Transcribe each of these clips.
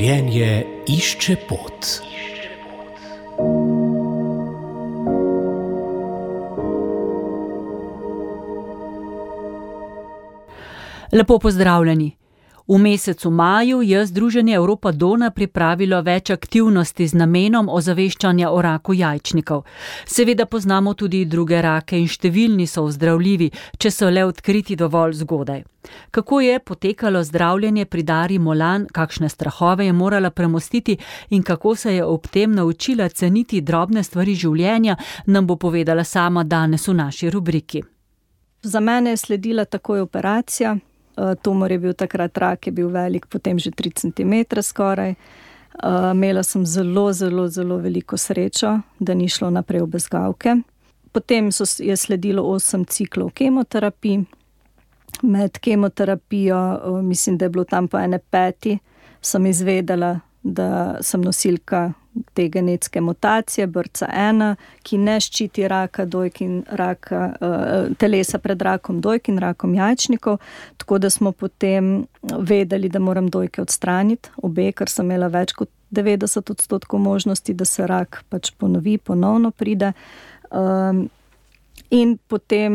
Življenje išče pot. Lepo pozdravljeni. V mesecu maju je Združenje Europa Donna pripravilo več aktivnosti z namenom ozaveščanja o raku jajčnikov. Seveda poznamo tudi druge rake in številni so ozdravljivi, če so le odkriti dovolj zgodaj. Kako je potekalo zdravljenje pri Dari Molan, kakšne strahove je morala premostiti in kako se je ob tem naučila ceniti drobne stvari življenja, nam bo povedala sama danes v naši rubriki. Za mene je sledila takoj operacija. Tumor je bil takrat, rak je bil velik, potem že 3 cm skoraj. Imela sem zelo veliko srečo, da ni šlo naprej v bezgavke. Potem je sledilo 8 ciklov kemoterapij. Med kemoterapijo, mislim, da je bilo tam po 5, sem izvedela, da sem nosilka te genetske mutacije BRCA1, ki ne ščiti raka dojk in telesa pred rakom dojk in rakom jajčnikov, tako da smo potem vedeli, da moram dojke odstraniti, obe, ker sem imela več kot 90% možnosti, da se rak pač ponovno pride. In potem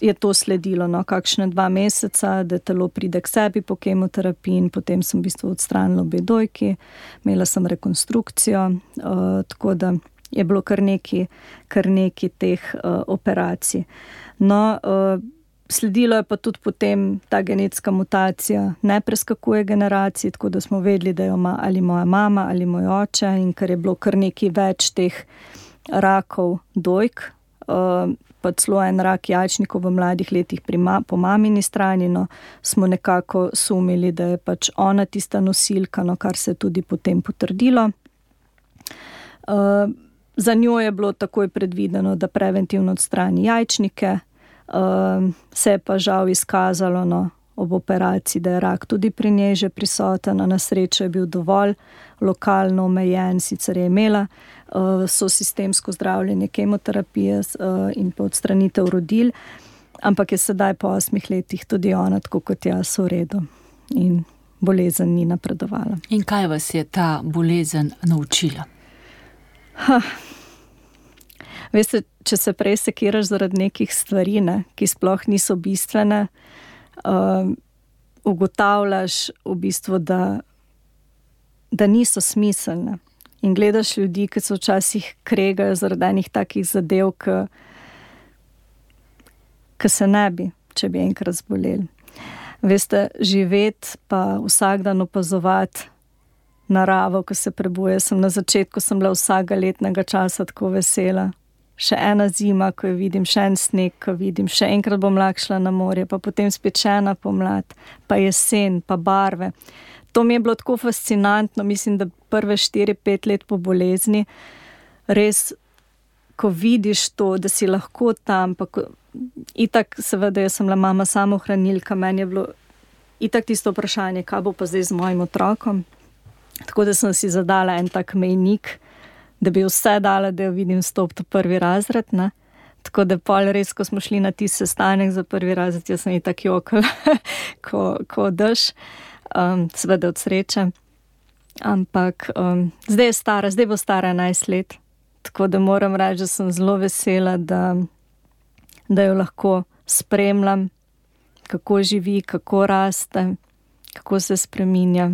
je to sledilo, kakšne 2 meseca, da telo pride k sebi po kemoterapiji in potem sem v bistvu odstranila obe dojki, imela sem rekonstrukcijo, tako da je bilo kar nekaj teh operacij. No, sledilo je pa tudi potem ta genetska mutacija, ne preskakuje generacij, tako da smo vedeli, da jo ima ali moja mama ali moj oče, in ker je bilo kar nekaj več teh rakov dojk, pa celo en rak jajčnikov v mladih letih po mamini strani, smo nekako sumili, da je pač ona tista nosilka, kar se je tudi potem potrdilo. Za njo je bilo takoj predvideno, da preventivno odstrani jajčnike, se je pa žal izkazalo ob operaciji, da je rak tudi pri njej že prisoten, na srečo je bil dovolj lokalno omejen, sicer je imela sistemsko zdravljenje kemoterapije in pa odstranitev rodil, ampak je sedaj po 8 letih tudi ona, tako kot jaz, v redu in bolezen ni napredovala. In kaj vas je ta bolezen naučila? Veste, če se prej sekiraš zaradi nekih stvari, ki sploh niso bistvene, ugotavljaš v bistvu, da niso smiselne. In gledaš ljudi, ki se včasih kregajo zaradi enih takih zadev, ki se ne bi, če bi enkrat zboleli. Veste, živeti pa vsak dan opazovati naravo, ko se prebuja. Na začetku sem bila vsakega letnega časa tako vesela. Še ena zima, ko jo vidim, še en sneg, ko vidim, še enkrat bom lahko šla na morje, pa potem spet še ena pomlad, pa jesen, pa barve. To mi je bilo tako fascinantno, mislim, da prve 4-5 let po bolezni, res, ko vidiš to, da si lahko tam, pa itak, seveda, jaz sem bila mama samohranilka, meni je bilo itak tisto vprašanje, kaj bo pa zdaj z mojim otrokom. Tako da sem si zadala en tak mejnik, da bi vse dala, da jo vidim stopiti v 1. razred, Tako da pol res, ko smo šli na tisti sestanek za 1. razred, jaz sem itak jokala, ko dež. Seveda od sreče, ampak zdaj bo stara 11 let, tako da moram reči, da sem zelo vesela, da jo lahko spremljam, kako živi, kako raste, kako se spreminja,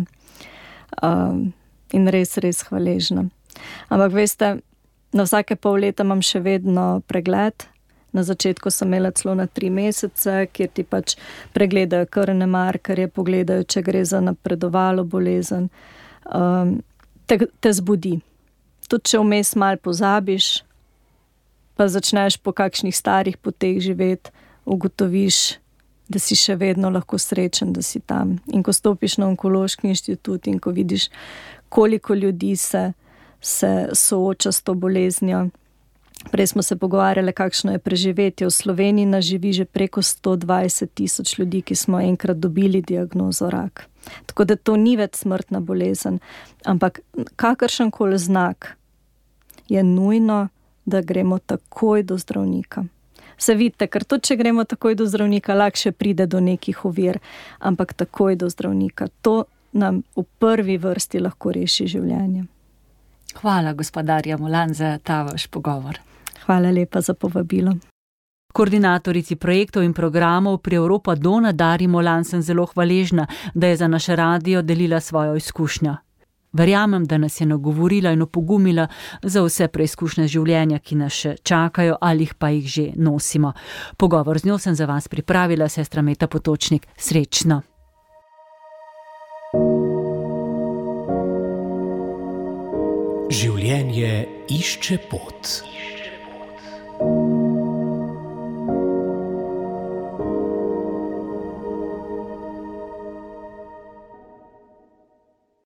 in res hvaležna. Ampak veste, na vsake pol leta imam še vedno pregled. Na začetku sem imela celo na 3 mesece, kjer ti pač pregledajo krvne markerje, pogledajo, če gre za napredovalo bolezen. Te zbudi. Tudi če vmes malo pozabiš, pa začneš po kakšnih starih poteh živeti, ugotoviš, da si še vedno lahko srečen, da si tam. In ko stopiš na onkološki inštitut in ko vidiš, koliko ljudi se sooča s to boleznijo. Prej smo se pogovarjali, kakšno je preživetje. V Sloveniji nas živi že preko 120,000 ljudi, ki smo enkrat dobili diagnozo rak. Tako da to ni več smrtna bolezen, ampak kakršenkoli znak je nujno, da gremo takoj do zdravnika. Se vidite, ker tudi če gremo takoj do zdravnika, lahko še pride do nekih ovir, ampak takoj do zdravnika. To nam v prvi vrsti lahko reši življenje. Hvala, gospa Darja Molan, za ta vaš pogovor. Hvala lepa za povabilo. Koordinatorici projektov in programov pri Europa Dona Darji Molan sem zelo hvaležna, da je za naš radio delila svojo izkušnjo. Verjamem, da nas je nagovorila in opogumila za vse preizkušnje življenja, ki nas še čakajo ali pa jih že nosimo. Pogovor z njo sem za vas pripravila, sestra Meta Potočnik. Srečno! Življenje išče pot.